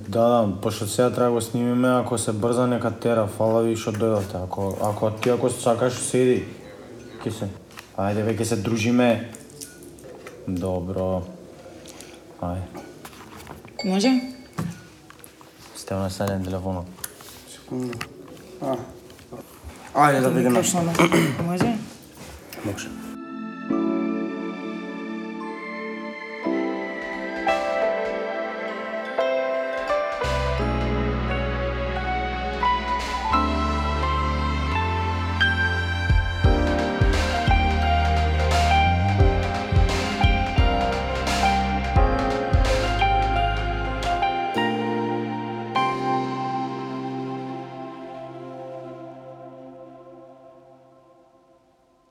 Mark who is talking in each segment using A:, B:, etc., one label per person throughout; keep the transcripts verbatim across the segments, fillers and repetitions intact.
A: Да, да, пошто сега треба го снимиме, ако се брза нека тера, фала ви што дојдовте. Ако ако ти ако сакаш седи, ќе се. Ајде веќе се дружиме. Добро. Ајде.
B: Може?
A: Сте на седен телефонот.
C: Секунда. А. Ајде да видиме.
B: Може?
A: Може.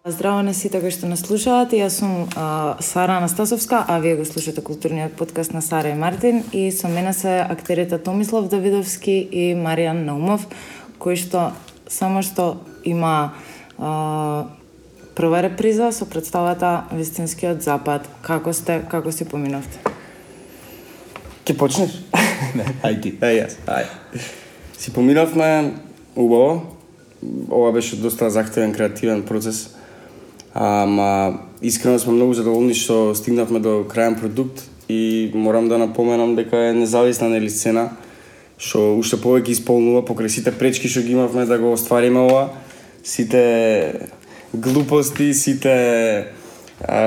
B: Здраво на сите кои што нас слушаат. Јас сум а, Сара Анастасовска, а вие го слушате културниот подкаст на Сара и Мартин, и со мене се актерите Томислав Давидовски и Маријан Наумов, кои што само што има а, прва реприза со представата Вистинскиот запад. Како сте, како си поминовте?
C: Ќе почнеш?
A: Не, ај ти.
C: Ај јас, ај. Си поминавме убаво. Ова беше доста захтевен креативен процес. Ама искрено сме многу задоволни што стигнавме до крајен продукт и морам да напоменам дека е независна нели сцена што уште повеќе исполнува покрај сите пречки што ги имавме да го оствариме ова, сите глупости, сите а,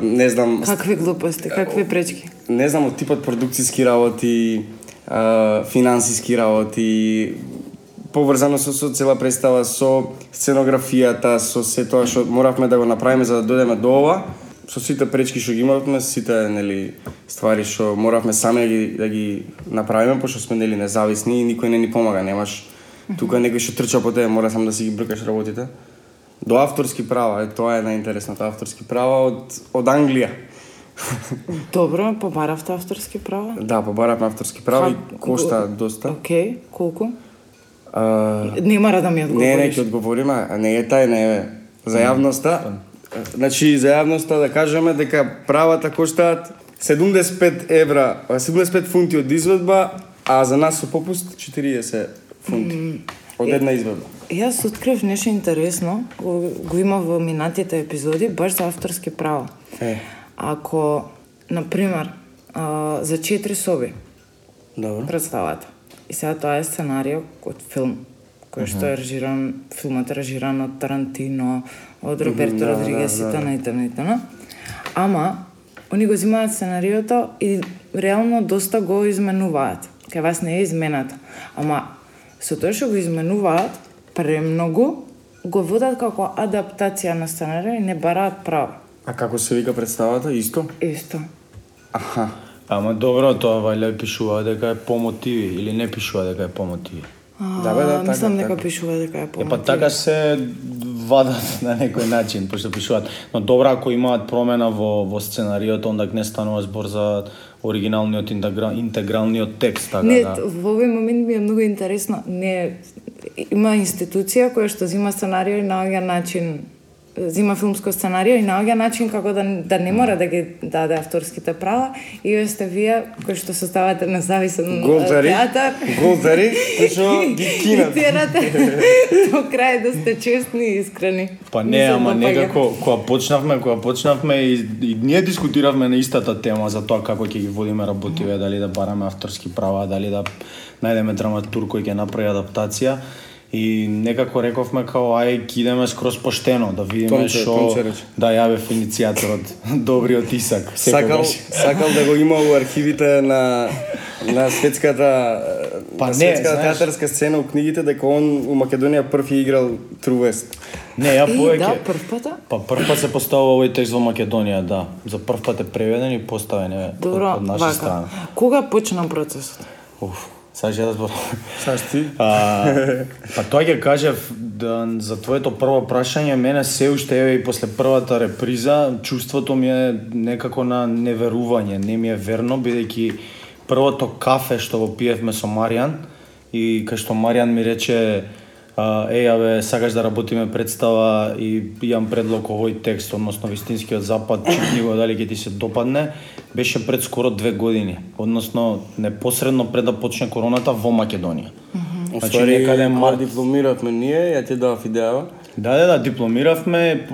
C: не знам.
B: Какви глупости, какви пречки?
C: Не знам, од типот продукциски работи, а, финансиски работи, поврзано со, со цела представа, со сценографијата, со се тоа што моравме да го направиме за да дојдеме до ова, со сите пречки што ги имавме, сите нели ствари што моравме сами да ги, да ги направиме, пошто сме нели независни и никој не ни помага, немаш тука некој што трча по тебе, мора сам да си ги бркаш работите. До авторски права, е тоа е најинтересното, авторски права од од Англија.
B: Добро, побаравте авторски права?
C: Да, побаравме авторски права и кошта доста.
B: Океј, колку?
C: Uh,
B: не мора да ми одговориш.
C: Не, не ќе одговориме, а не е тај, не е за јавноста. Значи, за јавноста да кажеме дека правата коштаат седумдесет и пет евра, седумдесет и пет фунти од изведба, а за нас со попуст четириесет фунти mm, од една изведба.
B: Јас открив нешто интересно, го, го има во минатите епизоди, баш за авторски права.
C: Е.
B: Ако, например, а, за четири соби
C: Добро.
B: представата, и сега тоа е сценарио од филм, кој што е режиран, филмот е режиран од Тарантино, од Роберто
C: да,
B: Родригес
C: да,
B: и
C: да.
B: т.н. и т.н. и т.н. Ама, они го земаат сценариото и реално доста го изменуваат. Кај вас не е изменато. Ама, со тоа што го изменуваат, премногу го водат како адаптација на сценарио и не бараат право.
C: А како се вика представата? Исто?
B: Исто.
C: Аха.
A: Ама добро, тоа вајле пишува дека е по мотиви или не пишува дека е по мотиви.
B: А,
C: Да, бе, да, така,
B: мислам дека
C: така.
B: пишува дека е по
A: Е, па така се вадат на некој начин, пошто пишуваат. Но добро, ако имаат промена во, во сценариото, онда не станува збор за оригиналниот интегра, интегралниот текст, така
B: Не,
A: да.
B: во овој момент ми е многу интересно. Не, има институција која што зима сценарио и наоѓа начин, зима филмско сценарио и наоѓа начин како да, да не мора да ги даде авторските права, и вие сте вие кои што составате независен
C: Голдари,
B: театар.
C: голдари, кои што ги
B: И
C: кинат.
B: терате до крај да сте честни и искрени.
A: Па не,
B: Мислам,
A: ама
B: да
A: некако, кога почнавме, кога почнавме и, и ние дискутиравме на истата тема за тоа како ќе ги водиме работиве, дали да бараме авторски права, дали да најдеме драматург кој ќе направи адаптација. И некако рековме као ај ќе идеме скроз поштено да видиме
C: Томче,
A: што
C: Томче рече.
A: да јаве иницијаторот добриот Исак.
C: Сакал,
A: секогаш.
C: сакал да го има во архивите на на светската
A: Па
C: на
A: не,
C: светската
A: знаеш.
C: театарска сцена у книгите дека он у Македонија прв ја играл Трувест.
A: Не, ја
B: Е,
A: повеќе.
B: да, прв пата?
A: Па прв пат се поставува овој текст во Македонија, да. За прв пат е преведен и поставен е од,
B: Добро,
A: од наша
B: вака.
A: страна.
B: Кога почна процесот?
A: Уф, сега ќе да збор.
C: Саш ти?
A: А, па тоа ќе кажев да, за твоето прво прашање, мене се уште еве и после првата реприза чувството ми е некако на неверување, не ми е верно, бидејќи првото кафе што го пиевме со Маријан и кај што Маријан ми рече еј, абе, сакаш да работиме представа и имам предлог овој текст, односно Вистинскиот запад, читни го дали ќе ти се допадне, беше пред скоро две години, односно непосредно пред да почне короната во Македонија.
C: Mm-hmm. Значи некаде март дипломиравме ние, ја ти дав идеја.
A: Да, да, да, дипломиравме,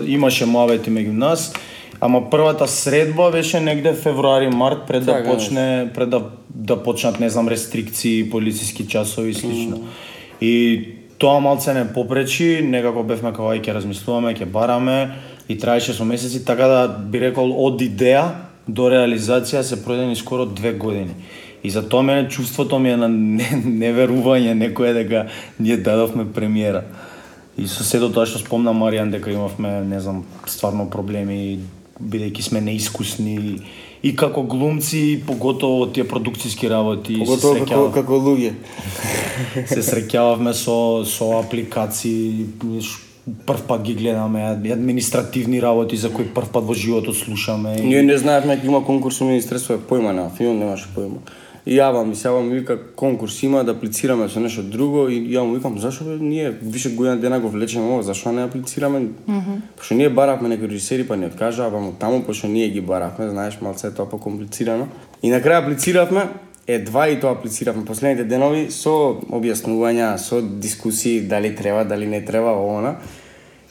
A: имаше муавети меѓу нас, ама првата средба беше негде февруари март пред да почне, пред да да почнат, не знам, рестрикции, полициски часови и слично. Mm. И тоа малце не попречи, некако бевме како ај ќе размислуваме, ќе бараме и траеше со месеци, така да би рекол од идеја до реализација се пројдени скоро две години. И за тоа мене чувството ми е на неверување некој дека ние дадовме премиера. И со сето тоа што спомна Маријан дека имавме, не знам, стварно проблеми, бидејќи сме неискусни и како глумци, и поготово тие продукциски работи.
C: Поготово како, како луѓе.
A: Се среќававме со, со апликации, прв пат ги гледаме, административни работи за кои прв пат во животот слушаме.
C: Ние не знаевме дека има конкурс во Министерство, појма нема, филм немаше појма. И јавам, и сега ми вика конкурс има да аплицираме со нешто друго и ја му викам зашо бе ние више година дена го влечеме ова, зашо не аплицираме? Mm -hmm. Пошто ние баравме некои режисери па ни откажаа, па таму пошто ние ги баравме, знаеш, малце тоа покомплицирано. И на крај аплициравме, едва и тоа аплициравме последните денови со објаснувања, со дискусии дали треба, дали не треба она.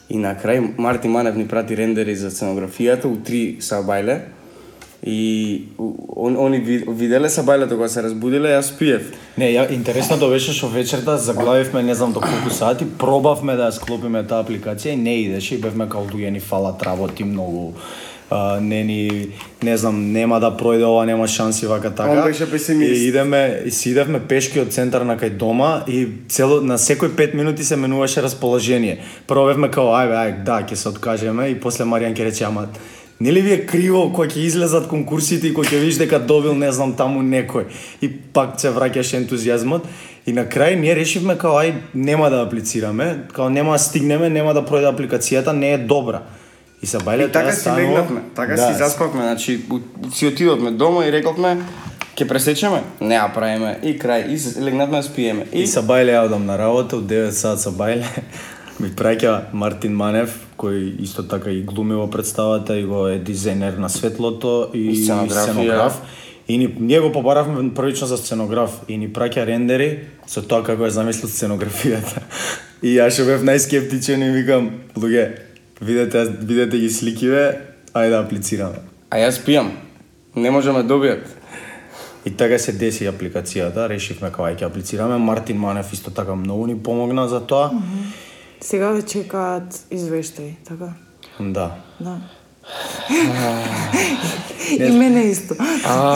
C: И на крај Мартин Манев ни прати рендери за сценографијата у три сабајле. И он, они виделе сабајлето кога се разбудиле, јас спиев.
A: Не, ја, интересното беше што вечерта заглавивме не знам до колку сати, пробавме да ја склопиме таа апликација и не идеше и бевме као луѓе ни фалат работи многу. Uh, не ни, не знам, нема да пројде ова, нема шанси вака така.
C: Он беше песимист.
A: И идеме, и си идевме пешки од центар на кај дома и цело на секој пет минути се менуваше расположение. Прво бевме као ајде, ајде, да, ќе се откажеме и после Маријан ќе рече ама нели ви е криво кога ќе излезат конкурсите и кога ќе видиш дека добил не знам таму некој и пак се враќаше ентузијазмот и на крај ние решивме као ај нема да аплицираме, као нема да стигнеме, нема да пројде апликацијата, не е добра. И се бајле
C: така си легнавме, така да, си заспавме, значи си отидовме дома и рековме ќе пресечеме, не ја правиме и крај и легнавме спиеме.
A: И, и се бајле ја одам на работа, од девет саат се бајле. Ми праќа Мартин Манев, кој исто така и глуми во представата и го е дизајнер на светлото и,
C: и
A: сценограф. И ни, ние го побаравме првично за сценограф и ни праќа рендери со тоа како е замислил сценографијата. И јас што бев најскептичен и викам, луѓе, видете, видете ги сликиве, ајде да аплицираме.
C: А јас пијам, не можеме добијат.
A: И така се деси апликацијата, решивме као ајде ќе аплицираме. Мартин Манев исто така многу ни помогна за тоа. Mm-hmm.
B: Сега ве чекаат извештаи, така?
A: Да.
B: Да. И мене исто.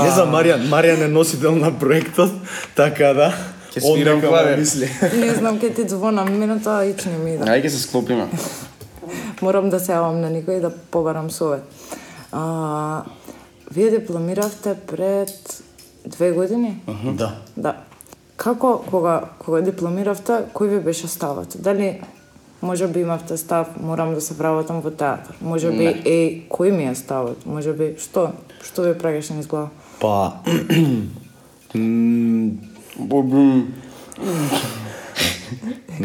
A: Не знам, Маријан, Маријан е носител на проектот, така да.
C: Ќе свирам клавир.
B: Не знам, ке ти звонам, мене тоа ич не ми иде.
C: Ајде ќе се склопиме.
B: Морам да се јавам на никој да побарам совет. А, вие дипломиравте пред две години?
A: Uh-huh. Да.
B: Да. Како, кога, кога дипломиравте, кој ви беше ставот? Дали може би имавте став, морам да се вработам во театар? Може би, е, кој ми е ставот? Може би, што? Што ви праќаше низ глава?
A: Па...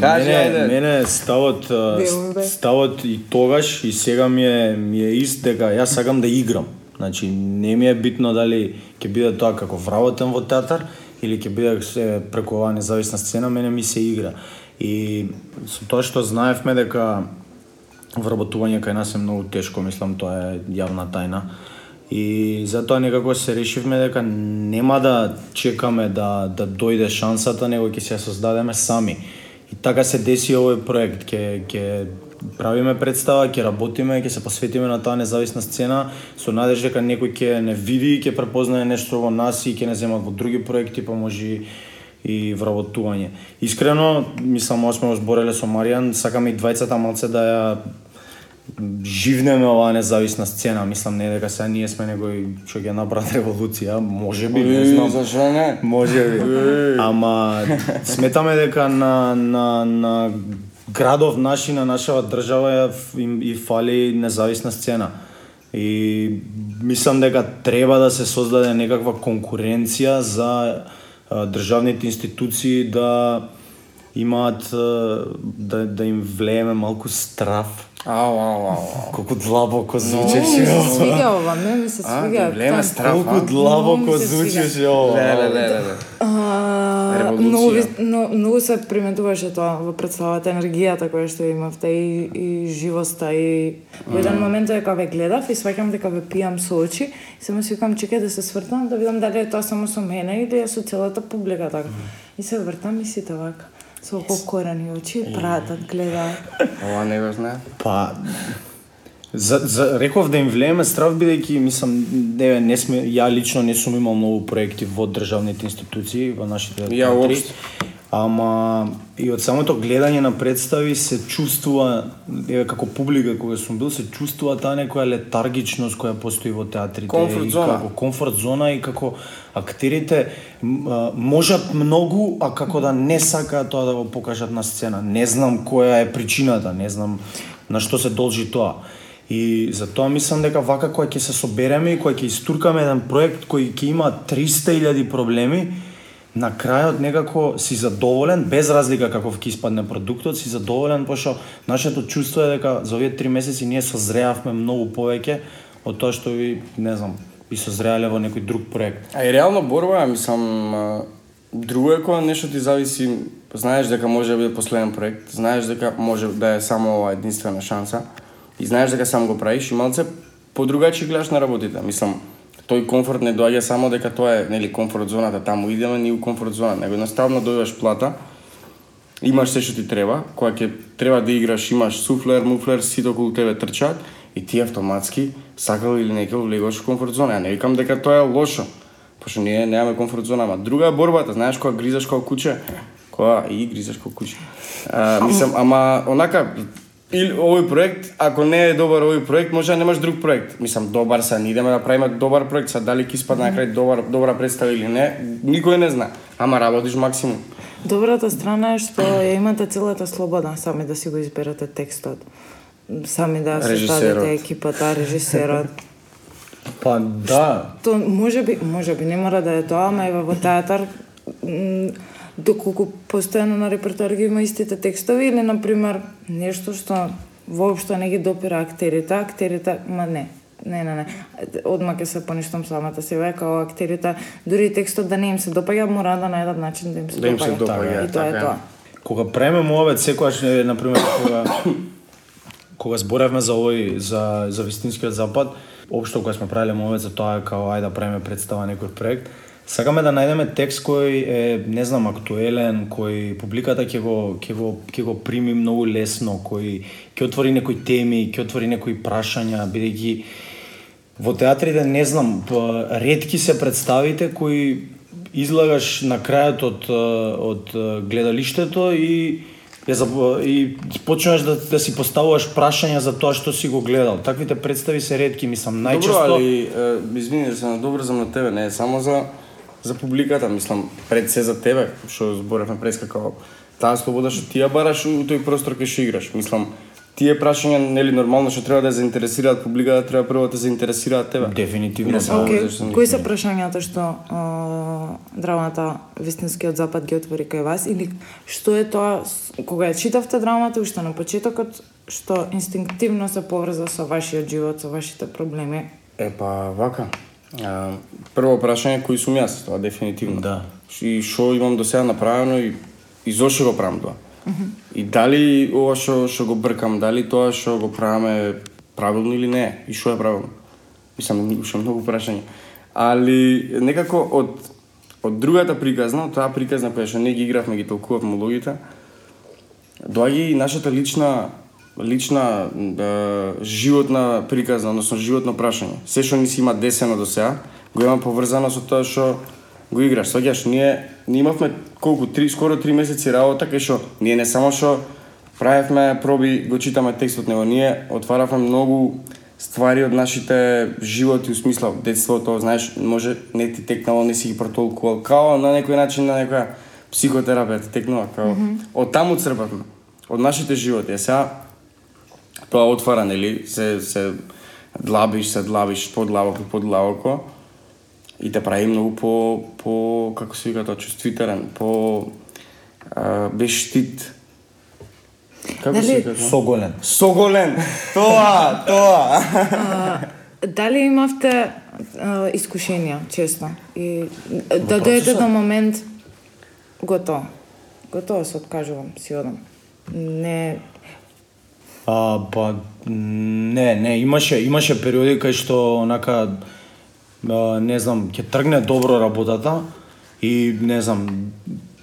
C: Кажи,
A: мене, мене ставот, ставот и тогаш и сега ми е, ми е ист дека јас сакам да играм. Значи, не ми е битно дали ќе биде тоа како вработен во театар или ќе биде преку оваа независна сцена, мене ми се игра. И со тоа што знаевме дека вработување кај нас е многу тешко, мислам тоа е јавна тајна. И затоа некако се решивме дека нема да чекаме да да дојде шансата, него ќе се создадеме сами. И така се деси овој проект, ќе ќе правиме представа, ќе работиме, ќе се посветиме на таа независна сцена со надеж дека некој ќе не види, ќе препознае нешто во нас и ќе не земат во други проекти, па може и вработување. Искрено, мислам, ова сме збореле со Маријан, сакаме и двајцата малце да ја живнеме оваа независна сцена. Мислам, не дека сега ние сме некој што ќе направат револуција, може би, не знам.
C: Зашо не?
A: Може би. Ама сметаме дека на на на градов наш и на нашава држава им и фали независна сцена. И мислам дека треба да се создаде некаква конкуренција за а, државните институции да имаат да, да им влееме малку страв.
C: Ау, ау, ау.
A: Колку длабоко звучеше
B: Ми се
A: ова.
B: свига ова, ме ми се свига.
C: А, влееме страв,
A: Колку
C: а?
A: длабоко
B: Многу ми се
A: звучеше ова.
C: Леле, леле, леле.
B: А,
C: Револуција.
B: многу, ви- но, многу се приметуваше тоа во представата, енергијата која што имавте и, и живоста и во еден момент е кога ве гледав и сваќам дека ве пијам со очи и само си викам чекај да се свртам да видам дали е тоа само со мене или е со целата публика така. И се вртам и сите вака со покорени очи пратат, гледаат.
C: Ова не го знае.
A: Па за, за реков да им влееме страв бидејќи мислам не не сме ја лично не сум имал многу проекти во државните институции во нашите
C: Ја
A: театри.
C: уопште.
A: Ама и од самото гледање на представи се чувствува, еве како публика кога сум бил, се чувствува таа некоја летаргичност која постои во театрите.
C: Комфорт
A: и
C: зона.
A: Како комфорт зона и како актерите м, а, можат многу, а како да не сакаат тоа да го покажат на сцена. Не знам која е причината, не знам на што се должи тоа. И затоа мислам дека вака кога ќе се собереме и кога ќе истуркаме еден проект кој ќе има триста илјади проблеми, на крајот некако си задоволен, без разлика каков ќе испадне продуктот, си задоволен, пошто нашето чувство е дека за овие три месеци ние созреавме многу повеќе од тоа што ви, не знам, би созреале во некој друг проект.
C: А и реално борба, ја мислам, а, друго е кога нешто ти зависи, знаеш дека може да биде последен проект, знаеш дека може да е само ова единствена шанса и знаеш дека сам го правиш и малце подругачи гледаш на работите. Мислам, тој комфорт не доаѓа само дека тоа е, нели, комфорт зоната, таму идеме ние у комфорт зона, него едноставно дојдеш плата, имаш се што ти треба, кога ќе треба да играш, имаш суфлер, муфлер, сите околу тебе трчаат и ти автоматски сакал или некој влегаш во комфорт зона. Ја не викам дека тоа е лошо, пошто ние немаме комфорт зона, ама друга е борбата, знаеш кога гризаш како куче, кога и гризаш како куче. А, мислам, ама онака или овој проект, ако не е добар овој проект, може да немаш друг проект. Мислам, добар са, не идеме да правиме добар проект, са дали ќе испадне на крај добар, добра представа или не, никој не зна. Ама работиш максимум.
B: Добрата страна е што ја имате целата слобода сами да си го изберете текстот. Сами да
C: Режисерот.
B: составите екипата, режисерот.
A: Па да,
B: То може би, може би не мора да е тоа, ама ева во театар м, доколку постојано на репертоар ги има истите текстови или на пример нешто што воопшто не ги допира актерите, актерите, ма не. Не, не, не. Одма ќе се поништам самата себе како актерите, дури и текстот да не им се допаѓа, мора да најдат начин да им се
C: Да им се
B: допаѓа.
C: допаѓа,
B: И тоа е
C: така е.
B: тоа.
A: кога преме мовет секогаш е, на пример кога кога зборевме за овој за за вистинскиот запад, општо кога сме правеле мовет за тоа као ајде да правиме представа некој проект, сакаме да најдеме текст кој е, не знам, актуелен, кој публиката ќе го ќе го ќе го прими многу лесно, кој ќе отвори некои теми, ќе отвори некои прашања, бидејќи во театрите не знам, па, ретки се представите кои излагаш на крајот од од гледалиштето и ја заб- и почнуваш да, да си поставуваш прашања за тоа што си го гледал. Таквите представи се ретки, мислам, најчесто.
C: Добро, али е, извини да се надобрзам на тебе, не е само за за публиката, мислам, пред се за тебе, што зборевме прескако. Таа слобода што ти ја бараш у тој простор кај што играш. Мислам, тие прашања нели нормално што треба да ја заинтересираат публиката, треба прво да заинтересираат тебе.
A: Дефинитивно.
C: Не само
B: Океј,
C: зашто
B: кои
C: никој
B: се
C: не-
B: прашањата што а, драмата Вистинскиот запад ги отвори кај вас или што е тоа с- кога ја читавте драмата уште на почетокот што инстинктивно се поврза со вашиот живот, со вашите проблеми?
C: Е па вака. А, прво прашање кој сум јас, тоа дефинитивно.
A: Да.
C: И што имам до сега направено и и зошто го правам тоа. И дали ова што што го бркам, дали тоа што го правиме правилно или не, и што е правилно. Мислам, уште многу прашања. Али некако од од другата приказна, од таа приказна која што не ги игравме, ги толкувавме улогите, доаѓа и нашата лична лична е, животна приказна, односно животно прашање. Се што ни си има десено до сега, го има поврзано со тоа што го играш. Сваќаш, ние ние имавме колку три скоро три месеци работа кај што ние не само што правевме проби, го читаме текстот, него ние отваравме многу ствари од нашите животи, у смисла детството, знаеш, може не ти текнало, не си ги протолкувал, као на некој начин на некоја психотерапија ти текнува, као mm -hmm. од таму црпавме, од нашите животи. А сега тоа отвара, нели, се се длабиш, се длабиш подлабоко, подлабоко и те прави многу по по како се вика тоа, чувствителен, по а, без штит. Како
B: Дали-
C: се кажа?
A: Соголен.
C: Соголен. Тоа, тоа.
B: А, дали имавте а, искушенија, честно? И да дојдете до момент готово. Готово се откажувам, си одам. Не,
A: А, па, не, не, имаше, имаше периоди кај што, онака, а, не знам, ќе тргне добро работата и, не знам,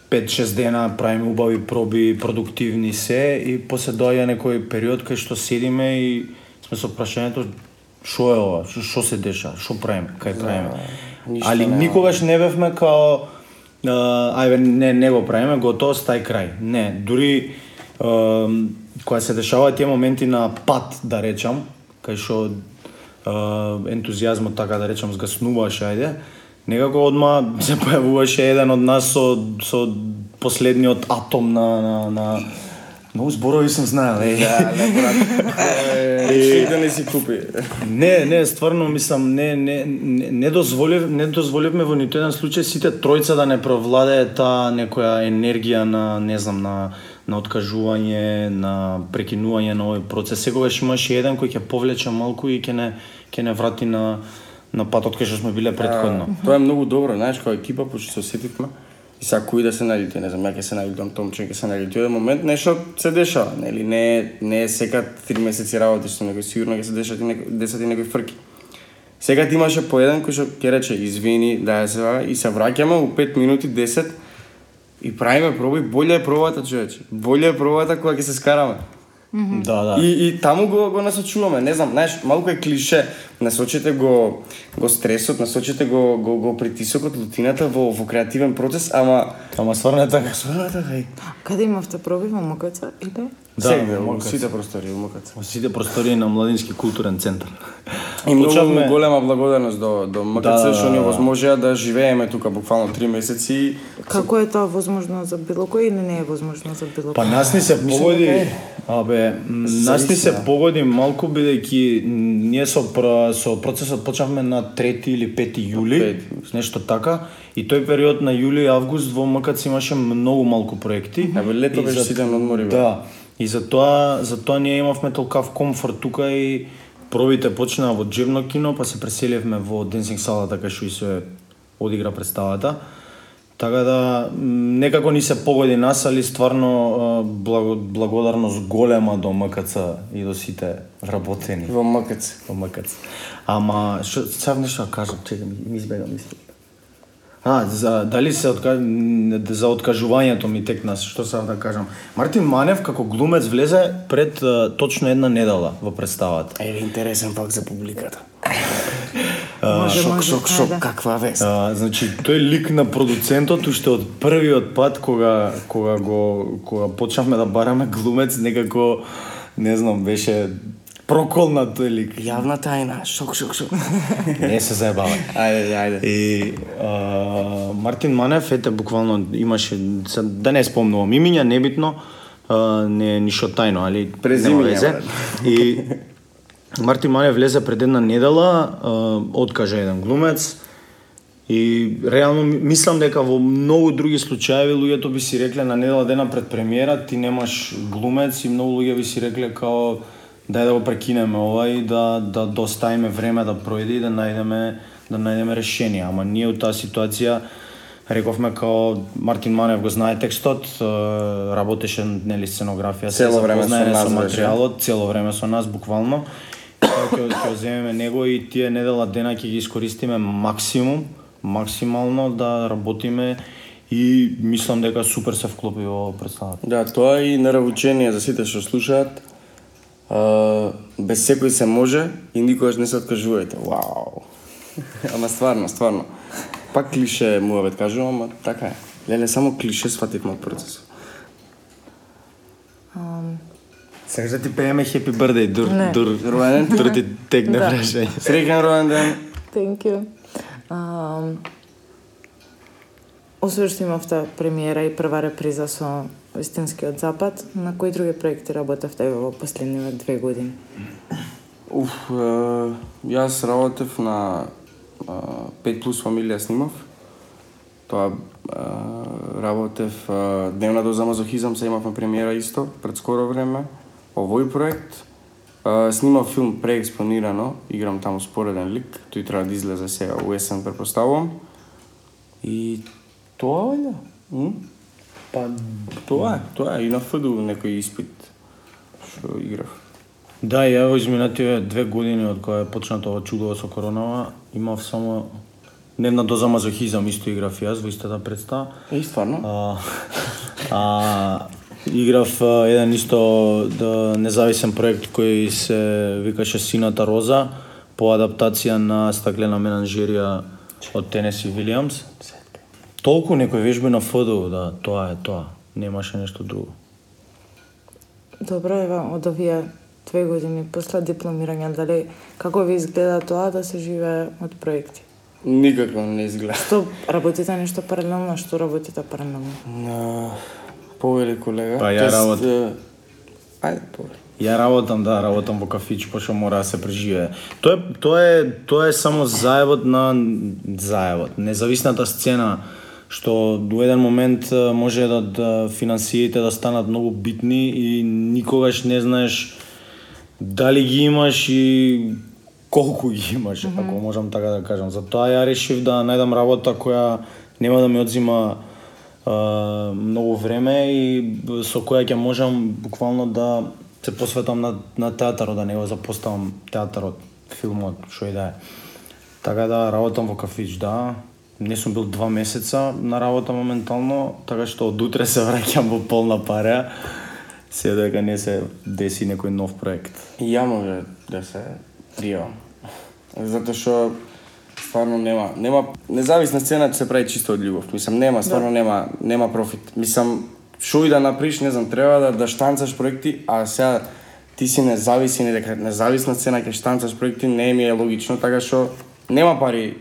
A: пет-шест дена правиме убави проби, продуктивни се и после доаѓа некој период кај што седиме и сме со прашањето шо е ова, шо, шо се деша, шо правиме, кај правиме.
C: ништо
A: Али
C: нема.
A: никогаш не бевме као а, ајде не не го правиме, готово, стај крај. Не, дури а, кога се дешаваат тие моменти на пат, да речам, кај што а, ентузијазмот, така да речам, згаснуваше, ајде, некако одма се појавуваше еден од нас со со последниот атом на на на многу зборови сум знаел, е.
C: Да, не брат. Е, да не си купи.
A: Не, не, стварно мислам, не не не, не дозволив, не дозволивме во ниту еден случај сите тројца да не провладее таа некоја енергија на, не знам, на на откажување, на прекинување на овој процес. Секогаш имаше еден кој ќе повлече малку и ќе не ќе не врати на на патот кај што сме биле претходно.
C: А, тоа е многу добро, знаеш, кога екипа почти се осетивме. И сега кој да се наљути, не знам, ја ќе се наљутам, Томче ќе се наљути. Од момент нешто се дешава, нели? Не не е сега три месеци работи што некој сигурно ќе се дешат и некој десет и некои фрки. Сега ти имаше по еден кој што ќе рече извини, да се вара и се враќаме у пет минути, десет и правиме проби, боле е пробата, човече. Боле е пробата кога ќе се скараме.
A: Да, да.
C: И, и таму го, го насочуваме, не знам, знаеш, малку е клише, насочите го, го стресот, насочите го, го, го притисокот, лутината во, во креативен процес, ама...
A: Ама стварно е така.
C: Стварно е така и...
B: каде имавте проби во Макаца или?
A: Да,
C: Сега,
A: во
C: во
A: Макац.
C: сите простори, во Макац.
A: Во сите простории на Младински културен центар.
C: И многу
A: Почнавме-
C: голема благодарност до, до Макац,
A: Да,
C: што ни
A: да, да.
C: овозможија да живееме тука буквално три месеци.
B: Како е тоа возможно за било кој или не е возможно за било
A: Па
B: кој?
A: нас ни се
C: Мислам
A: погоди,
C: дека е.
A: абе, м, нас ни се
C: Зависи, да.
A: погоди малку бидејќи м, ние со пр- со процесот почнавме на трети или пети јули,
C: Пети,
A: нешто така, и тој период на јули и август во МКЦ имаше многу малку проекти.
C: Абе, лето
A: И
C: беше
A: за-
C: ситен одмори, бе.
A: Да. И затоа затоа ние имавме толкав комфорт тука и пробите почнаа во Джебно кино, па се преселивме во Денсинг салата кај што и се одигра представата. Така да м, некако ни се погоди нас, али стварно а, благо, благодарност голема до МКЦ и до сите вработени
C: Во Макац.
A: во МКЦ. Ама што сав нешто да кажам, чекам, ми избега мисли. А, за, дали се отка... н- за откажувањето ми текна, што сав да кажам. Мартин Манев како глумец влезе пред а, точно една недела во представата.
C: Еве интересен факт за публиката.
B: Може,
C: Шок,
B: може,
C: шок, шок,
B: ајде.
C: каква вест.
A: А, значи тој лик на продуцентот уште од првиот пат кога кога го кога почнавме да бараме глумец, некако не знам, беше проколна тој лик.
C: Јавна тајна, шок, шок, шок.
A: Не се заебавај.
C: Ајде, ајде.
A: И а, Мартин Манев, ете, буквално имаше, сад, да не спомнувам имиња, небитно, а, не е ништо тајно, али
C: Презимиња,
A: нема везе.
C: брат.
A: И Мартин Манев влезе пред една недела, а, откажа еден глумец, и реално ми- мислам дека во многу други случаеви луѓето би си рекле на недела дена пред премиера ти немаш глумец и многу луѓе би си рекле као дај да го прекинеме ова и да да доставиме време да пројде и да најдеме да најдеме решение. Ама ние у таа ситуација рековме као Мартин Манев го знае текстот, е, работеше нели сценографија, се
C: Цело време со
A: запознаен
C: нас
A: со
C: беше.
A: материјалот, цело време со нас буквално. Тоа ќе ќе земеме него и тие недела дена ќе ги искористиме максимум, максимално да работиме и мислам дека супер се вклопи во представата.
C: Да, тоа и наравучение за сите што слушаат. А, без секој се може и никогаш не се откажувајте. Вау. Ама стварно, стварно. Пак клише муавет кажувам, ама така е. Леле, само клише свативме од процесот.
B: Ам,
A: Сега да ти пееме Happy Birthday, дур,
B: Не.
A: дур,
C: Ројден ти?
A: дур ти тегне
B: Да.
A: прашање.
C: Среќен ројден ден.
B: Thank you. Um, освен што имавте премиера и прва реприза со Вистинскиот запад, на кои други проекти работевте во последниве две години?
C: Уф, е, јас работев на е, пет плюс фамилија снимав. Тоа а, работев а, Дневна доза мазохизам, се имавме премиера исто пред скоро време. Овој проект а, снимав филм преекспонирано, играм таму спореден лик, тој треба да излезе сега у есен, претпоставувам. И тоа е, м?
A: Па
C: Тоа е, тоа е и на ФДУ некој испит што играв.
A: да, ја во изминативе две години од кога е почнато ова чудово со коронава, имав само Дневна доза мазохизам, исто играв јас во истата представа.
C: Е, стварно?
A: А, а играв а, еден исто да, независен проект кој се викаше Сината роза, по адаптација на Стаклена менаџерија од Тенеси Вилијамс. Толку некој вежби на ФДУ, да, тоа е тоа. Немаше нешто друго.
B: Добро, ева, од овие две години после дипломирање, дали како ви изгледа тоа да се живее од проекти?
C: Никако не изгледа.
B: Што работите нешто паралелно, што работите паралелно?
C: На повели колега.
A: Па, ја
C: Тоест,
A: работам.
C: е, Ајде, повели.
A: Ја работам, да, работам во кафич, пошто мора да се преживее. Тоа е, тоа е, тоа е само заевот на заевот, независната сцена, што до еден момент а, може да, да финансиите да станат многу битни и никогаш не знаеш дали ги имаш и колку ги имаш, mm-hmm. ако можам така да кажам. Затоа ја решив да најдам работа која нема да ми одзима а, многу време и со која ќе можам буквално да се посветам на, на театарот, да не го запоставам театарот, филмот, што и да е. Така да работам во кафич, да. Не сум бил два месеца на работа моментално, така што од утре се враќам во полна пареа, се дека не се деси некој нов проект.
C: И ја може да се пријавам. Затоа што стварно нема, нема независна сцена ќе се прави чисто од љубов. Мислам нема, стварно нема, нема профит. Мислам шо и да направиш, не знам, треба да да штанцаш проекти, а сега ти си независен и дека независна сцена ќе штанцаш проекти, не ми е логично, така што нема пари.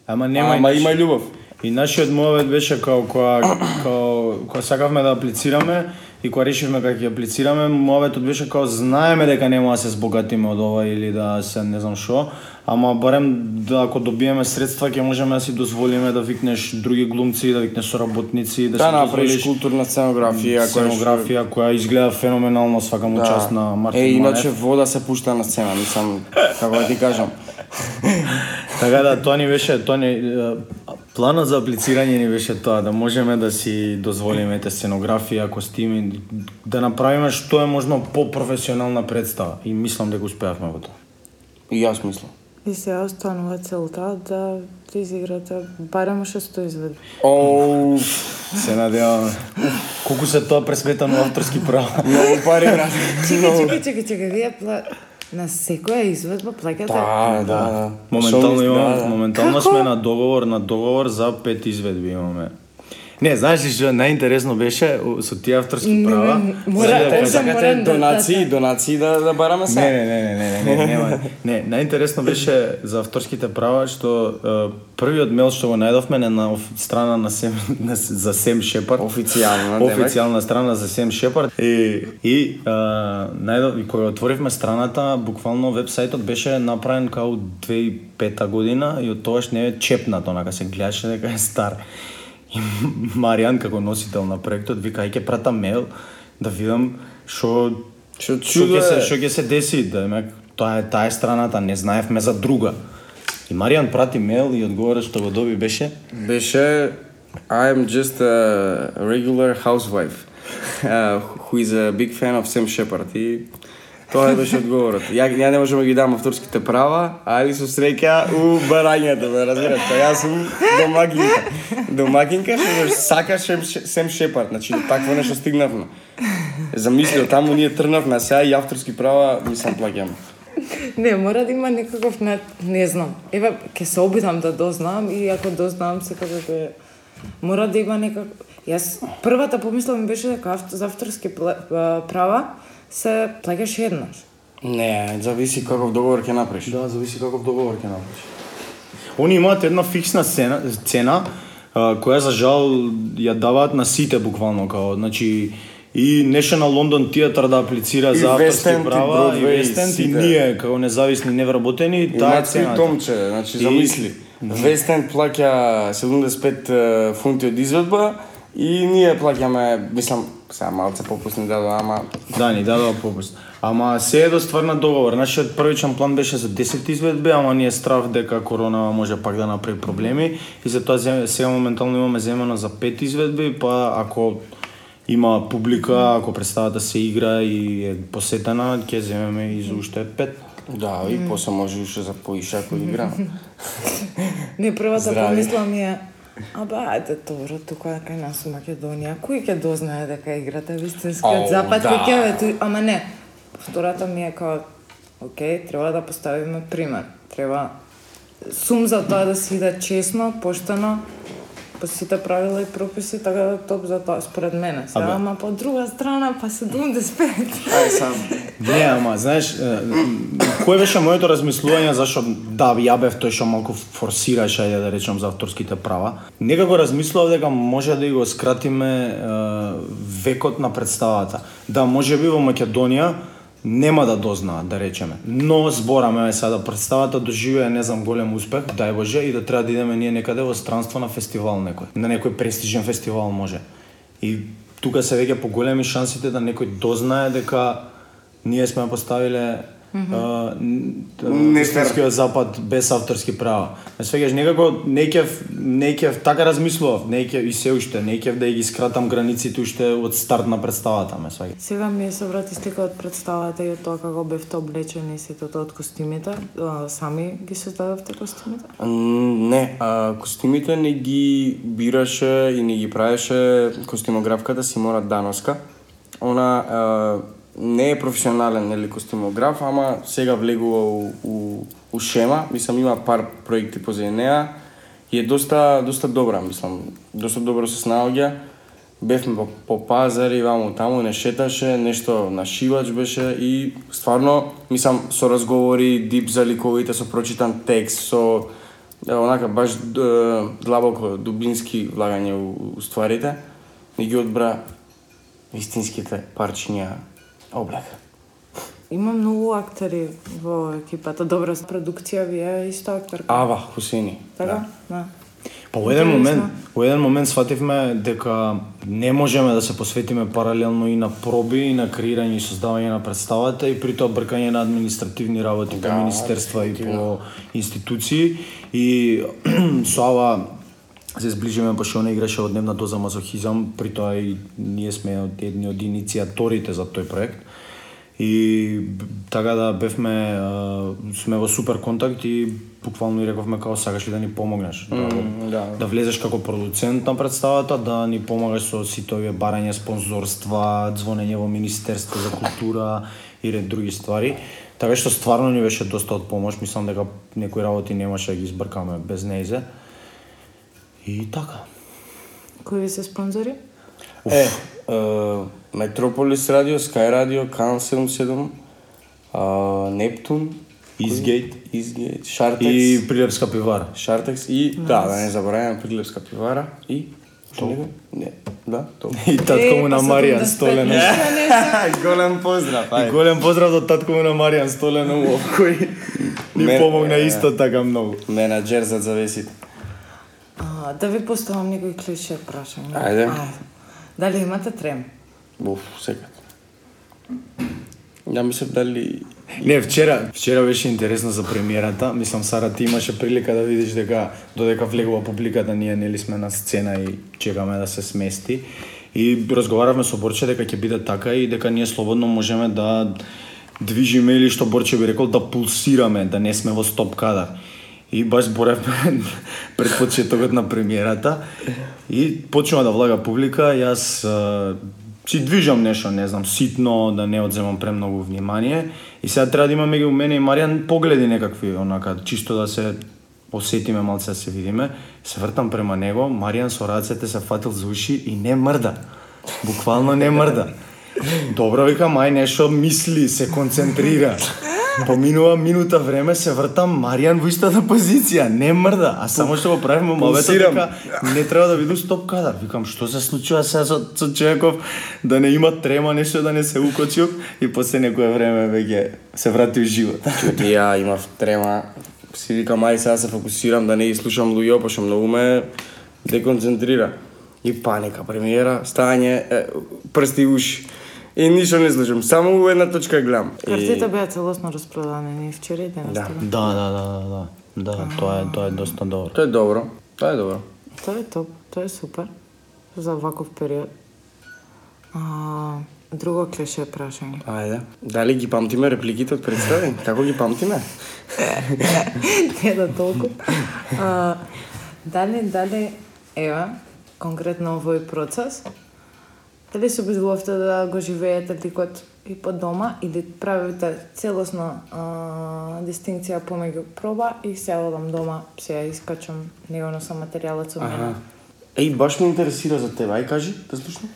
A: Ама нема
C: Ама има љубов.
A: И нашиот мовет беше као кога као кога сакавме да аплицираме и кога решивме дека ќе аплицираме, моветот беше као знаеме дека нема да се збогатиме од ова или да се не знам што, ама барем да ако добиеме средства ќе можеме да си дозволиме да викнеш други глумци, да викнеш соработници, да,
C: Да
A: си
C: направиш
A: дозволиш
C: културна сценографија,
A: сценографија која изгледа феноменално, свака му
C: Да.
A: част на Мартин
C: Е, иначе
A: Манев.
C: вода се пушта на сцена, мислам, како да ти кажам.
A: Така да, тоа ни беше, тоа ни, е, планот за аплицирање ни беше тоа, да можеме да си дозволиме те сценографија, костими, да направиме што е можно по-професионална представа. И мислам дека успеавме во тоа.
C: И јас мислам.
B: И сега останува целта да изиграте барем шесто изведба.
C: Оу,
A: Се надеваме. Колку се тоа пресметано авторски права.
C: многу пари, брат.
B: Чекај, чекај, чекај, чекај, вие пла... на секоја изведба плаќате?
C: Да, да, да.
A: Моментално
C: Шо ми-
A: имаме,
C: да, да.
A: моментално
B: Како?
A: сме на договор, на договор за пет изведби имаме. Не, знаеш ли што најинтересно беше со тие авторски права?
B: не, мора-
A: Сега да
B: Ова
A: кажам-
B: морам
C: Сакате
B: да-
C: донации,
B: да-
C: донации да да бараме се.
A: Не, не, не, не, не, не, не, нема. Не, најинтересно беше за авторските права што е, првиот мејл што го најдовме е на оф- страна на Сем на, за Сем Шепард.
C: Официјално, демек.
A: Официјална страна за Сем Шепард. И и а, најдов и кога отворивме страната, буквално вебсајтот беше направен као две тисачи и пета година и од тогаш не е чепнат, онака се гледаше дека е стар. И Маријан како носител на проектот вика ај ќе пратам мејл да видам што
C: Што
A: што
C: чудо
A: ќе се
C: е.
A: што ќе се деси, да демек тоа е таа е страната, не знаевме за друга. И Маријан прати мејл и одговорот што го доби беше
C: Беше I am just a regular housewife uh, who is a big fan of Sam Shepard. И тоа беше одговорот. Ја, ја не можам да ги дам авторските права, али со среќа у барањето, ме разбираш, па јас сум домакинка. Домакинка што ме сака Сем, Сем Шепард, значи до такво нешто стигнавме. Замислио, таму ние трнавме, а сега и авторски права ми сам плаќам.
B: Не, мора да има некаков, не, не знам. Еве, ќе се обидам да дознам и ако дознам секако ќе... Мора да има некак... Јас првата помисла ми беше дека авто, за авторски пла- а, права се плаќаш еднаш.
C: Не, зависи каков договор ќе направиш.
A: да, зависи каков договор ќе направиш. Они имаат една фиксна цена, цена а, која за жал ја даваат на сите буквално као, значи и National London Theatre да аплицира
C: И
A: за авторски
C: West End, и
A: права, и
C: Broadway,
A: West End, и
C: сите.
A: ние како независни невработени, таа е
C: Имаат свој
A: цената.
C: томче, значи
A: И-
C: замисли. Вестен плаќа седумдесет и пет е, фунти од изведба и ние плаќаме, мислам, сега малце попусни дадоа, ама
A: Да, ни дадоа попуст. Ама се е до стварна договор. Нашиот првичен план беше за десет изведби, ама ние страв дека корона може пак да направи проблеми и затоа сега моментално имаме земено за пет изведби, па ако има публика, ако представата се игра и е посетена, ќе земеме и за уште пет.
C: да, и после може уште за поише ако игра.
B: Не, првата
C: Здрави.
B: помисла ми е, абе, ајде, добро, тука кај нас у Македонија, кој ќе дознае дека играта е вистинскиот
C: Ау,
B: запад,
C: да.
B: кој ќе ве ту... Ама не, втората ми е као, окей, треба да поставиме пример. Треба, сум за тоа да се иде честно, поштено, по сите правила и прописи, така да топ за тоа, според мене. Сега,
A: Абе.
B: ама по друга страна, па седумдесет и пет.
C: Ај сам.
A: Не, ама, знаеш, е, кој беше моето размислување зашо да ја бев тој што малку форсираше, ајде да речам, за авторските права. Некако размислував дека може да го скратиме е, векот на представата. Да, можеби во Македонија нема да дознаат, да речеме. Но збораме сега да представата доживее, не знам, голем успех, дај Боже, и да треба да идеме ние некаде во странство на фестивал некој. На некој престижен фестивал може. И тука се веќе поголеми шансите да некој дознае дека ние сме поставиле Истинскиот запад без авторски права. Ме свеќаш некако не ќе не ќе така размислував, не ќе и се уште не ќе да ги скратам границите уште од старт на представата, ме свеќаш.
B: Сега ми се врати слика од представата и од тоа како бевте облечени сите тоа од костимите. А, сами ги создадовте костимите?
C: М, Не, а, костимите не ги бираше и не ги правеше костимографката Симона Дановска. Она а, не е професионален нели костимограф, ама сега влегува у, у, у шема, мислам има пар проекти позади неа и е доста доста добра, мислам, доста добро се снаоѓа. Бевме по, по пазари, ваму таму, не шеташе, нешто на шивач беше и стварно, мислам, со разговори, дип за ликовите, со прочитан текст, со е, онака баш е, длабоко, дубински влагање у, у стварите, не ги одбра истинските парчиња облека.
B: Има многу актери во екипата. Добра продукција, вие исто актерка.
C: Ава Хусени.
B: Така? Да.
A: Па во еден
B: Интересно.
A: момент, во еден момент сфативме дека не можеме да се посветиме паралелно и на проби, и на креирање и создавање на представата и при тоа бркање на административни работи по
C: Да,
A: министерства и
C: дефинитивно.
A: по институции и со ова се зближиме па што не играше од дневна доза мазохизам, при тоа и ние сме од едни од иницијаторите за тој проект. И б- така да бевме а, сме во супер контакт и буквално и рековме како сакаш ли да ни помогнеш да, го-
C: да.
A: да влезеш како продуцент на представата, да ни помагаш со сите овие барање спонзорства, звонење во Министерство за култура и ред други ствари. Така што стварно ни беше доста од помош, мислам дека некои работи немаше да ги избркаме без нејзе. И така.
B: Кои ви се спонзори?
C: Е, е, Метрополис радио, Sky радио, Канал седумдесет и седум, а, Нептун,
A: Изгейт
C: Изгейт, Шартекс,
A: и Прилепска пивара.
C: Шартекс и да, да не забораваме Прилепска пивара и што него? Не, да, тоа.
A: И татко му на Маријан Столенов.
C: Голем поздрав,
A: И
C: ајде.
A: голем поздрав до татко му на Маријан Столенов, кој ни
C: Мен-
A: помогна
C: е,
A: исто така многу.
C: Менаџер за завесите.
B: А, да ви поставам некој клише прашање.
C: Ајде.
B: Дали имате трем?
C: Буф, секад. Ја мислев дали
A: Не, вчера, вчера беше интересно за премиерата. Мислам, Сара, ти имаше прилика да видиш дека додека влегува публиката, ние нели сме на сцена и чекаме да се смести. И разговаравме со Борче дека ќе биде така и дека ние слободно можеме да движиме или што Борче би рекол да пулсираме, да не сме во стоп кадар. И баш зборевме пред почетокот на премиерата и почнува да влага публика, јас а, си движам нешто, не знам, ситно, да не одземам премногу внимание. И сега треба да има меѓу мене и Маријан погледи некакви, онака, чисто да се осетиме малце, да се видиме. Се вртам према него, Маријан со рацете се фатил за уши и не мрда. Буквално не мрда. Добро, викам, ај нешто мисли, се концентрира. Поминува минута време, се вртам, Маријан во истата позиција, не мрда, а само што го правиме мовето
C: Пулсирам.
A: дека не треба да виду стоп кадар. Викам, што се случува сега со, со човеков, да не има трема, нешто да не се укочил и после некое време веќе се врати у живот.
C: Чути, ја имав трема, си викам, ај сега се фокусирам да не ги слушам луѓе, пошто многу ме деконцентрира. И паника, премиера, стање, е, прсти уши. И ништо не слушам, само у една точка гледам.
B: Картите беа целосно распродадени и вчера и денес.
C: Да.
A: Да, да, да, да, да. Да, тоа е тоа е доста добро.
C: Тоа е добро. Тоа е добро.
B: Тоа е топ, тоа е супер за ваков период. А, друго клише прашање.
C: Ајде. Дали ги памтиме репликите од представи? Како ги памтиме?
B: Не да толку. А, дали, дали, ева, конкретно овој процес, дали се обидувавте да го живеете ликот и по дома или правите целосно а, дистинкција помеѓу проба и се одам дома, се ја искачам, не го носам материјалот со мене.
C: Еј, баш ме интересира за тебе. Ај кажи, да слушам.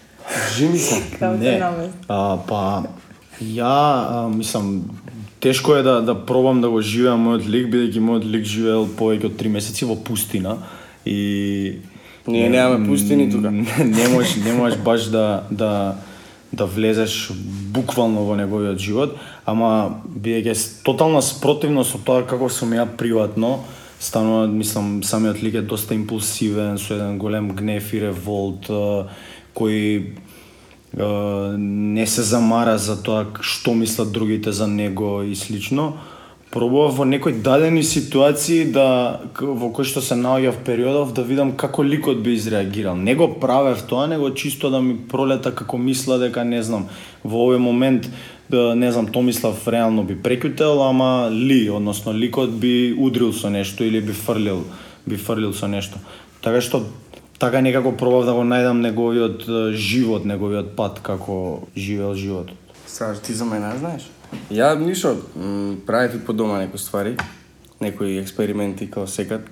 C: Жими се.
B: Како те намест?
A: А, па, ја, а, мислам, тешко е да, да пробам да го живеам мојот лик, бидејќи мојот лик живеел повеќе од три месеци во пустина и...
C: Ние немаме пустини тука.
A: Не можеш, не можеш баш да, да, да влезеш буквално во неговиот живот, ама бидејќи тотална спротивно со тоа како сум ја приватно, станува, мислам, самиот лик е доста импулсивен, со еден голем гнев и револт, кој не се замара за тоа што мислат другите за него и слично. Пробував во некои дадени ситуации да во кои што се наоѓа в периодов да видам како ликот би изреагирал. Не го правев тоа, него чисто да ми пролета како мисла дека не знам во овој момент да не знам Томислав реално би прекутел, ама Ли, односно ликот би удрил со нешто или би фрлил, би фрлил со нешто. Така што така некако пробав да го најдам неговиот живот, неговиот пат како живеел животот.
C: Сега ти за мене знаеш? Ја ништо, правев и по дома некои ствари, некои експерименти као секад.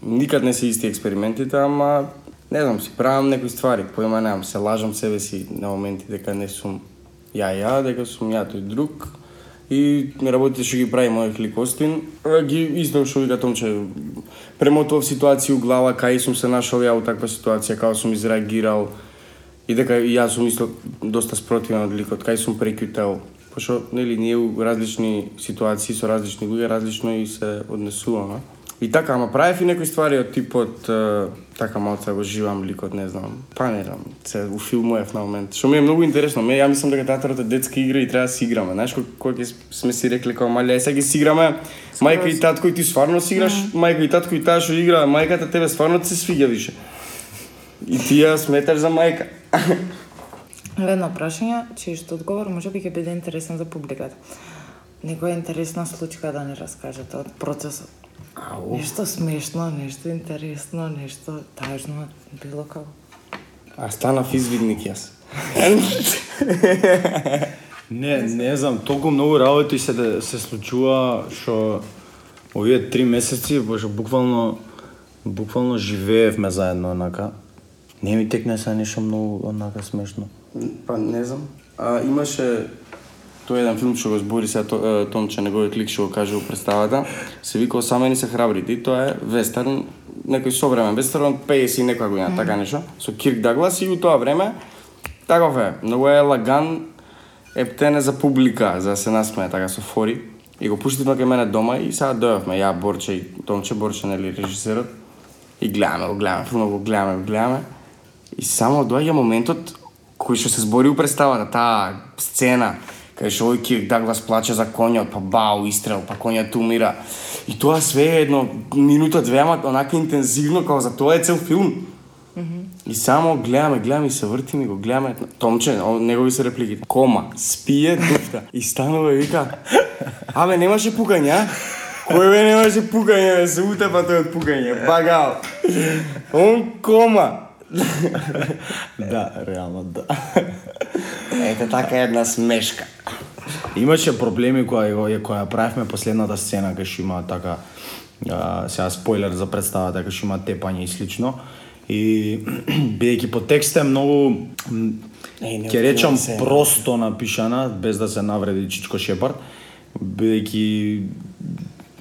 C: Никад не се исти експериментите, ама не знам, си правам некои ствари, поима немам, се лажам себе си на моменти дека не сум ја ја, дека сум ја тој друг. И работите што ги прави мојот лик Остин, ги исто што вика Томче, премотував ситуација у глава, кај сум се нашол ја у таква ситуација, како сум изреагирал и дека и јас сум исто доста спротивен од ликот, кај сум прекјутел. Пошто, нели, ние у различни ситуации со различни луѓе различно и се однесуваме. И така, ама правев и некои ствари од типот е, така малце го живам ликот, не знам, па не знам, се у филмуев на момент. Што ми е многу интересно, ме ја мислам дека театарот е детска игра и треба да си играме. Знаеш кога ќе сме си рекли како мали, ај сега ќе си играме, мајка и татко и ти стварно си играш, mm. мајка и татко и таа што игра, мајката тебе стварно ти се свиѓа више. И ти ја сметаш за мајка.
B: Едно прашање, чијшто одговор може би ќе биде интересен за публиката. Некоја интересна случка да ни раскажете од процесот.
C: Ау.
B: Нешто смешно, нешто интересно, нешто тажно, било како.
C: А станав извидник јас.
A: Не, не знам, толку многу работи се се случува што овие три месеци, боже, буквално буквално живеевме заедно онака. Не ми текне се нешто многу онака смешно.
C: Па не знам. А имаше тој еден филм што го збори се Томче, неговиот лик што го каже у представата, се вика Осамени се храбрите и тоа е вестерн, некој современ вестерн од пеесет и некоја година, mm. така нешто, со Кирк Даглас и у тоа време таков е, многу е лаган, ептене за публика, за да се насмее така со фори. И го пуштивме кај мене дома и сега дојавме, ја, Борче и Томче, Борче, нели, режисерот, и гледаме, го гледаме, филмот го гледаме, го гледаме. И само доаѓа моментот кој што се збори у представата, таа сцена, кај што овој Кирк Даглас плаче за конјот, па бау, истрел, па конјот умира. И тоа све е едно минута, две, ама онака интензивно, како за тоа е цел филм. Mm-hmm. И само гледаме, гледаме и се вртиме, го гледаме. Томче, негови се репликите. Кома, спие, дуфта. И станува и вика, абе, немаше пукање, кој бе немаше пукање, бе, се утепа тој од пукање, багал. Он кома.
A: Да, реално да.
C: Ете така една смешка.
A: Имаше проблеми која која правевме последната сцена кај што има така а, сега спойлер за представата кај што има тепање и слично. И бидејќи по текст е многу ќе речам просто напишана без да се навреди Чичко Шепард, бидејќи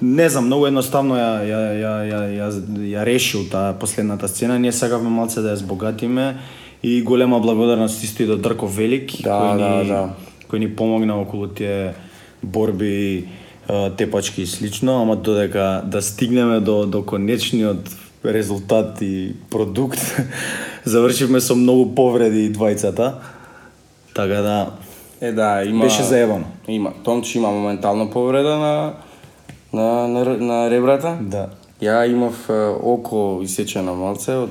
A: не знам, многу едноставно ја ја ја ја ја, ја решил таа последната сцена. Ние сакавме малце да ја збогатиме и голема благодарност исто и до Дрко Велик,
C: да,
A: кој
C: да,
A: ни
C: да.
A: кој ни помогна околу тие борби тепачки и слично, ама додека да стигнеме до до конечниот резултат и продукт, завршивме со многу повреди и двајцата. Така да
C: Е да, има
A: беше заебано.
C: Има Томчи има моментална повреда на на на, на ребрата.
A: Да.
C: Ја имав е, око исечено малце од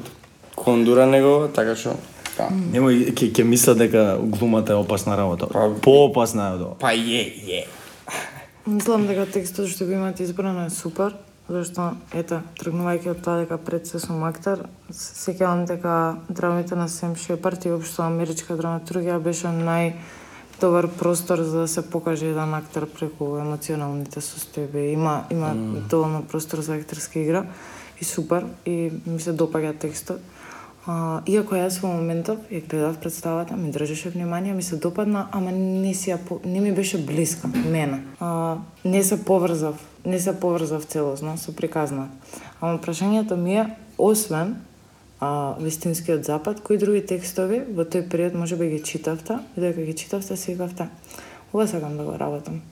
C: кондура негова, така што да.
A: Немој ќе ќе мисля дека глумата е опасна работа.
C: Па-
A: Поопасна е од ова.
C: Па е, е.
B: Мислам дека текстот што го имате избрано е супер, зашто ета, тргнувајќи од тоа дека пред се сум актер, се сеќавам дека драмите на Сем Шепард и општо америчка драматургија беше нај добар простор за да се покаже еден актер преку емоционалните состојби. Има има mm. доволно простор за актерска игра и супер и ми се допаѓа текстот. А, иако јас во моментов ја гледав представата, ми држеше внимание, ми се допадна, ама не си ја по... не ми беше блиска мене. А, не се поврзав, не се поврзав целосно со приказна. Ама прашањето ми е, освен а, Вистинскиот запад, кои други текстови во тој период можеби ги читавте, и дека ги читавте си викавте, ова сакам да го работам.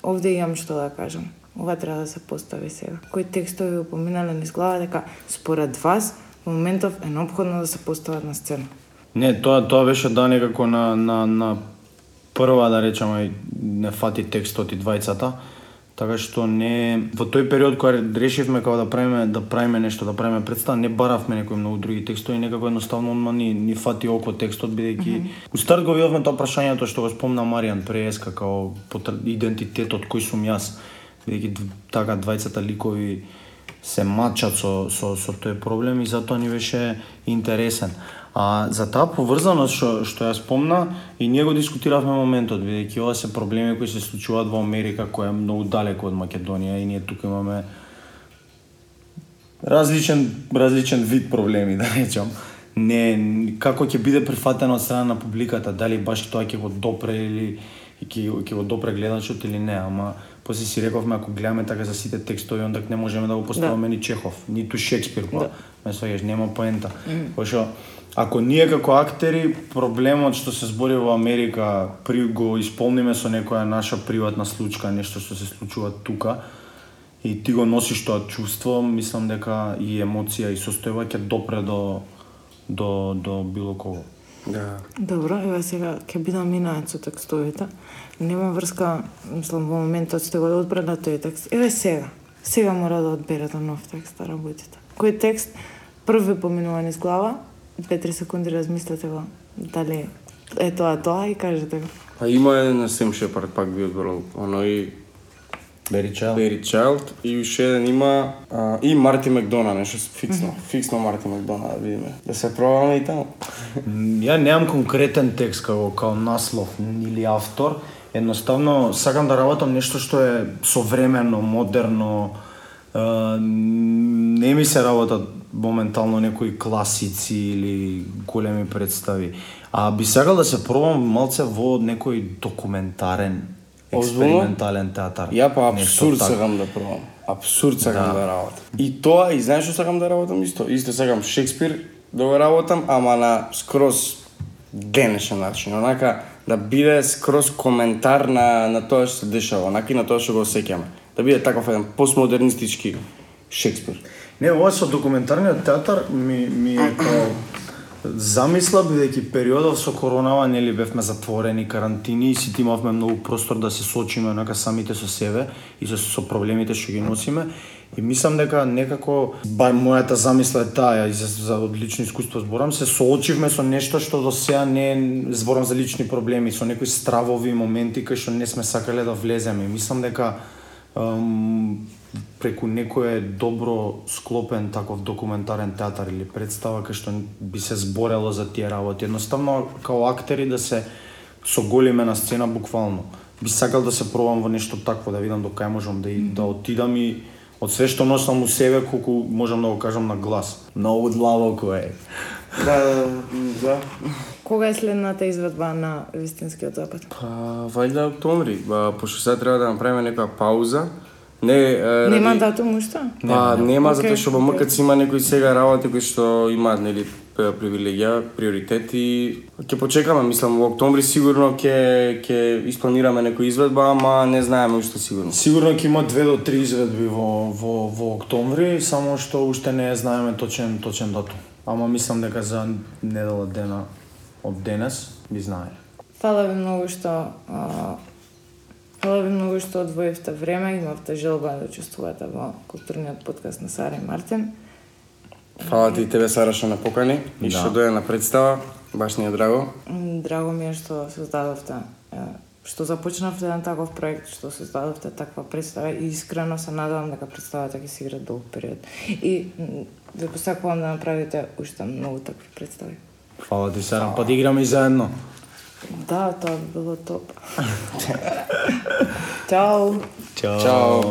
B: Овде имам што да кажам. Ова треба да се постави сега. Кои текстови упоминале низ глава дека според вас во моментов е неопходно да се постават на сцена?
A: Не, тоа тоа беше да некако на на на прва да речеме не фати текстот и двајцата, така што не во тој период кога решивме како да правиме да правиме нешто, да правиме представа, не баравме некои многу други текстови, некако едноставно одма ни ни фати око текстот бидејќи mm -hmm. у старт го видовме тоа прашањето што го спомна Маријан преска како идентитетот кој сум јас, бидејќи така двајцата ликови се мачат со, со, со тој проблем и затоа ни беше интересен. А за таа поврзаност што, што ја спомна, и ние го дискутиравме моментот, бидејќи ова се проблеми кои се случуваат во Америка, која е многу далеко од Македонија и ние тука имаме различен, различен вид проблеми, да речам. Не, како ќе биде прифатено од страна на публиката, дали баш тоа ќе го допре или ќе, ќе го допре гледачот или не, ама после си рековме, ако гледаме така за сите текстови, онда не можеме да го поставиме да. Ни Чехов, ниту Шекспир, па, да. Ме сваѓаш, нема поента. Mm. Пошто, ако ние како актери, проблемот што се збори во Америка, при го исполниме со некоја наша приватна случка, нешто што се случува тука, и ти го носиш тоа чувство, мислам дека и емоција и состојба ќе допре до, до, до било кого.
C: Да.
B: Добро, ева сега ќе бидам минаец со текстовите. Нема врска, мислам, во моментот сте го одбрали на тој текст. Еве сега. Сега мора да одберете нов текст да работите. Кој текст први поминува низ глава, две-три секунди размислете го, дали е тоа тоа и кажете го.
C: Па има еден на Сем Шепард, пак би одбрал, оној
A: Бери Чайлд.
C: Бери Чайлд и уште еден има а, и Марти Макдона, нешто фиксно, mm -hmm. фиксно Марти Макдона да видиме. Да се пробаме и таму.
A: Ја немам конкретен текст како као наслов или автор, едноставно сакам да работам нешто што е современо, модерно. Uh, не ми се работат моментално некои класици или големи представи. А би сакал да се пробам малце во некој документарен, експериментален театар.
C: Ја па абсурд сакам да пробам. Абсурд сакам да, да работам. И тоа, и знаеш што сакам да работам исто? Исто сакам Шекспир да го работам, ама на скроз денешен начин. Онака да биде скроз коментар на, на тоа што се дешава, онака и на тоа што го осеќаме. Да биде таков еден постмодернистички Шекспир.
A: Не, ова со документарниот театар ми, ми е као замисла, бидејќи периодов со коронава, нели бевме затворени, карантини и сите имавме многу простор да се соочиме онака самите со себе и со, со проблемите што ги носиме. И мислам дека некако, бар мојата замисла е таа, и за, за лично искуство зборам, се соочивме со нешто што до сега не зборам за лични проблеми, со некои стравови моменти кои што не сме сакале да влеземе. И мислам дека Um, преку некој добро склопен таков документарен театар или представа кај што би се зборело за тие работи. Едноставно, као актери да се соголиме на сцена буквално. Би сакал да се пробам во нешто такво, да видам до кај можам да, да отидам и од све што носам у себе, колку можам да го кажам на глас. Многу длабоко е.
C: Да, да.
B: Кога е следната изведба на Вистинскиот запад?
C: Па, вајда октомври, ба, пошто сега треба да направиме некоја пауза. Не, е,
B: нема
C: ради...
B: датум уште?
C: Па, нема,
B: okay,
C: затоа што во МКЦ има некои сега работи кои што имаат, нели, привилегија, приоритети. Ќе почекаме, мислам, во октомври сигурно ќе ќе испланираме некоја изведба, ама не знаеме уште сигурно.
A: Сигурно ќе има две до три изведби во во во октомври, само што уште не знаеме точен точен датум. Ама мислам дека за недела дена од денес би знаеле.
B: Фала ви многу што а, фала ви многу што одвоивте време, имавте желба да учествувате во културниот подкаст на Сара и Мартин.
C: Фала ти и тебе, Сара, што ме покани и
A: Да.
C: што дојде на представа. Баш ни е драго.
B: М, Драго ми е што создадовте, е, што започнавте еден таков проект, што создадовте таква представа и искрено се надевам дека представата ќе се игра долг период. И м, ви посакувам да направите уште многу такви представи.
A: Фала ти, Сара, па да играме и заедно.
B: Да, тоа би било топ. Чао!
A: Чао.
C: Чао.